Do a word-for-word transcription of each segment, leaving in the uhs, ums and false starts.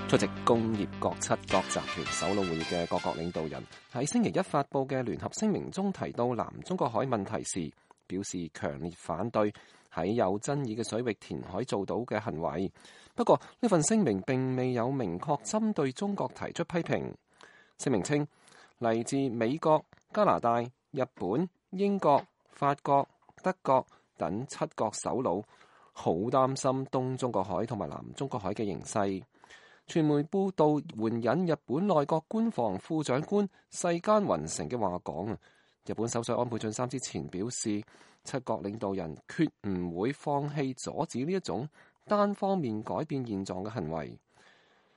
出席工業國七國集團首腦會議嘅各國領導人喺星期一發布嘅聯合聲明中提到南中國海問題時，表示強烈反對喺有爭議嘅水域填海造島嘅行為。不過呢份聲明並未有明確針對中國提出批評。聲明稱，嚟自美國、加拿大、日本、英國、法國、德國等七國首腦好擔心東中國海同埋南中國海嘅形勢。傳媒報道援引日本內閣官房副長官世間雲成嘅話講啊，日本首相安倍晉三之前表示，七國領導人決唔會放棄阻止呢一種單方面改變現狀嘅行為。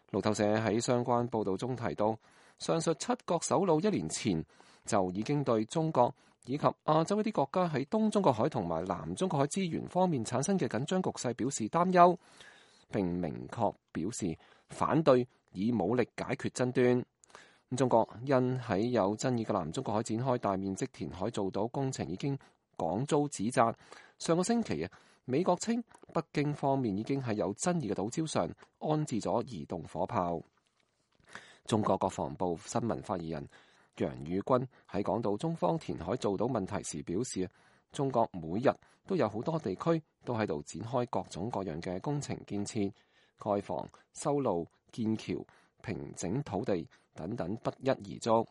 路透社喺相關報導中提到，上述七國首腦一年前就已經對中國以及亞洲一啲國家喺東中國海同埋南中國海資源方面產生嘅緊張局勢表示擔憂，並明確表示反對以武力解決爭端。中國因喺有爭議嘅南中國海展開大面積填海造島工程已經廣遭指責。上個星期啊，美國稱北京方面已經喺有爭議嘅島礁上安置咗移動火炮。中國國防部新聞發言人楊宇軍喺講到中方填海造島問題時表示，中國每日都有好多地區都喺度展開各種各樣嘅工程建設、蓋房、修路、建橋、平整土地等等不一而足。